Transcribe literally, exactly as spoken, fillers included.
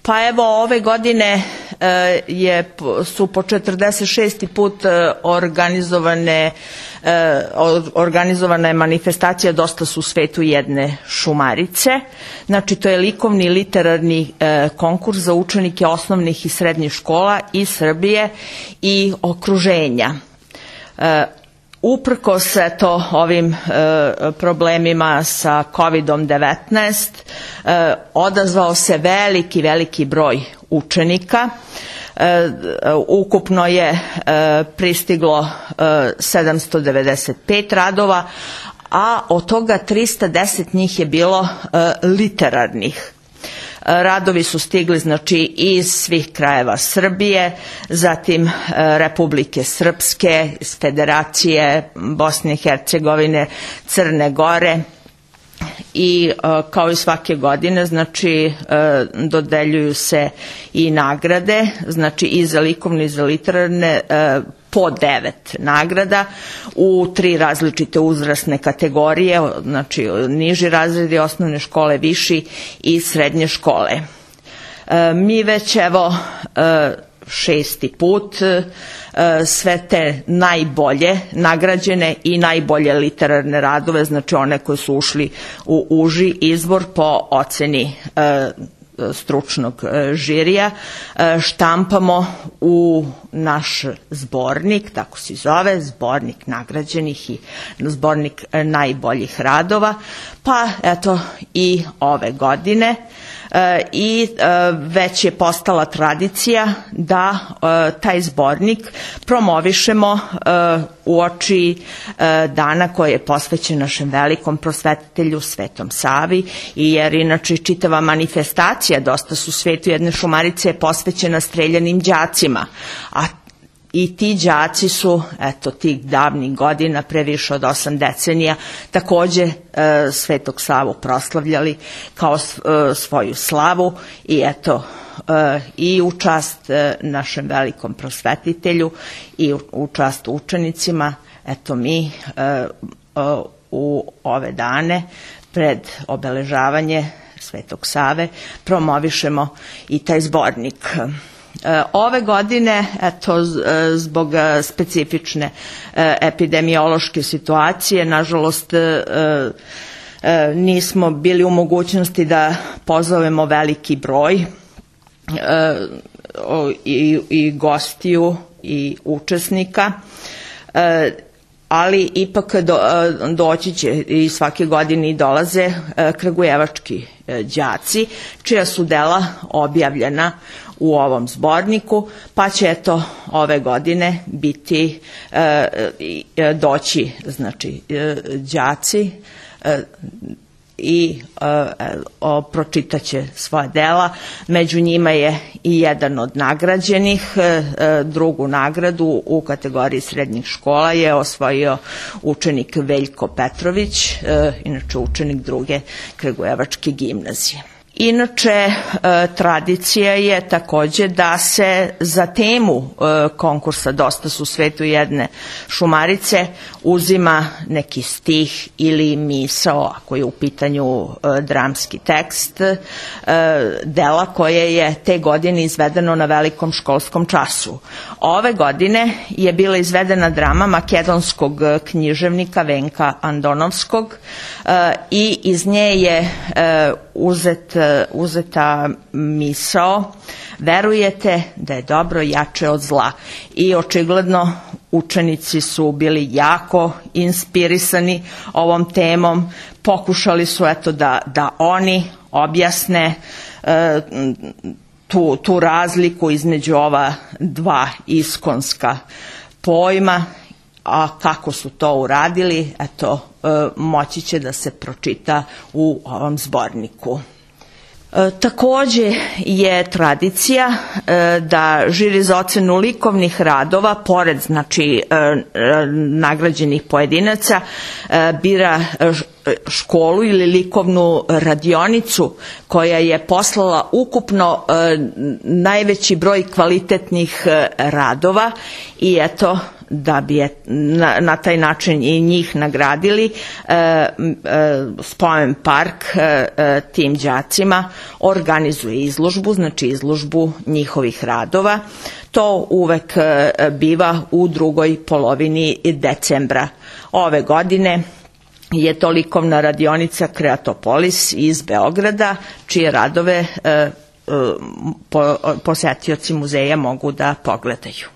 Pa evo, ove godine je, su po četrdeset šesti put organizovane, organizovana je manifestacija Dosta su svetu jedne šumarice. Znači, to je likovni literarni konkurs za učenike osnovnih i srednjih škola iz Srbije i okruženja. Uprkos eto ovim e, problemima sa kovidom devetnaest, e, odazvao se veliki, veliki broj učenika. E, ukupno je e, pristiglo e, sedamsto devedeset pet radova, a od toga trista deset njih je bilo e, literarnih. Radovi su stigli znači iz svih krajeva Srbije, zatim Republike Srpske, iz Federacije Bosne i Hercegovine, Crne Gore i kao i svake godine znači dodeljuju se i nagrade, znači i za likovne i za literarne, po devet nagrada u tri različite uzrasne kategorije, znači niži razredi osnovne škole, viši i srednje škole. E, mi već evo e, šesti put e, sve te najbolje nagrađene i najbolje literarne radove, znači one koji su ušli u uži izbor po oceni e, stručnog žirija, štampamo u naš zbornik, tako se zove, zbornik nagrađenih i zbornik najboljih radova, pa eto i ove godine. I već je postala tradicija da taj zbornik promovišemo uoči dana koji je posvećen našem velikom prosvetitelju Svetom Savi, jer inače čitava manifestacija Dosta su svetu jedne šumarice je posvećena streljanim đacima, a i ti đaci su, eto, tih davnih godina, pre više od osam decenija, takođe e, Svetog Savu proslavljali kao e, svoju slavu i eto, e, i u čast e, našem velikom prosvetitelju i u, u čast učenicima, eto mi e, e, u ove dane pred obeležavanje Svetog Save promovišemo i taj zbornik. Ove godine, eto, zbog specifične epidemiološke situacije, nažalost, nismo bili u mogućnosti da pozovemo veliki broj i, i gostiju i učesnika, ali ipak do, doći će i svake godine i dolaze kragujevački đaci, čija su dela objavljena u ovom zborniku, pa će eto ove godine biti e, doći znači đaci e, i e, pročitaće svoja dela. Među njima je i jedan od nagrađenih. E, drugu nagradu u kategoriji srednjih škola je osvojio učenik Veljko Petrović, e, inače učenik druge Kragujevačke gimnazije. Inače, e, tradicija je takođe da se za temu e, konkursa Dosta su svetu jedne šumarice uzima neki stih ili misao, ako je u pitanju e, dramski tekst, e, dela koje je te godine izvedeno na velikom školskom času. Ove godine je bila izvedena drama makedonskog književnika Venka Andonovskog e, i iz nje je e, uzet uzeta misao: verujete da je dobro jače od zla. I očigledno učenici su bili jako inspirisani ovom temom, pokušali su eto da, da oni objasne e, tu, tu razliku između ova dva iskonska pojma, a kako su to uradili, eto, e, moći će da se pročita u ovom zborniku. E, takođe je tradicija e, da žiri za ocenu likovnih radova, pored znači e, e, nagrađenih pojedinaca, e, bira školu ili likovnu radionicu koja je poslala ukupno e, najveći broj kvalitetnih e, radova i eto da bi je na, na taj način i njih nagradili, Spomen park tim đacima organizuje izložbu, znači izložbu njihovih radova. To uvek biva u drugoj polovini decembra. Ove godine je to likovna radionica Kreatopolis iz Beograda, čije radove posetioci muzeja mogu da pogledaju.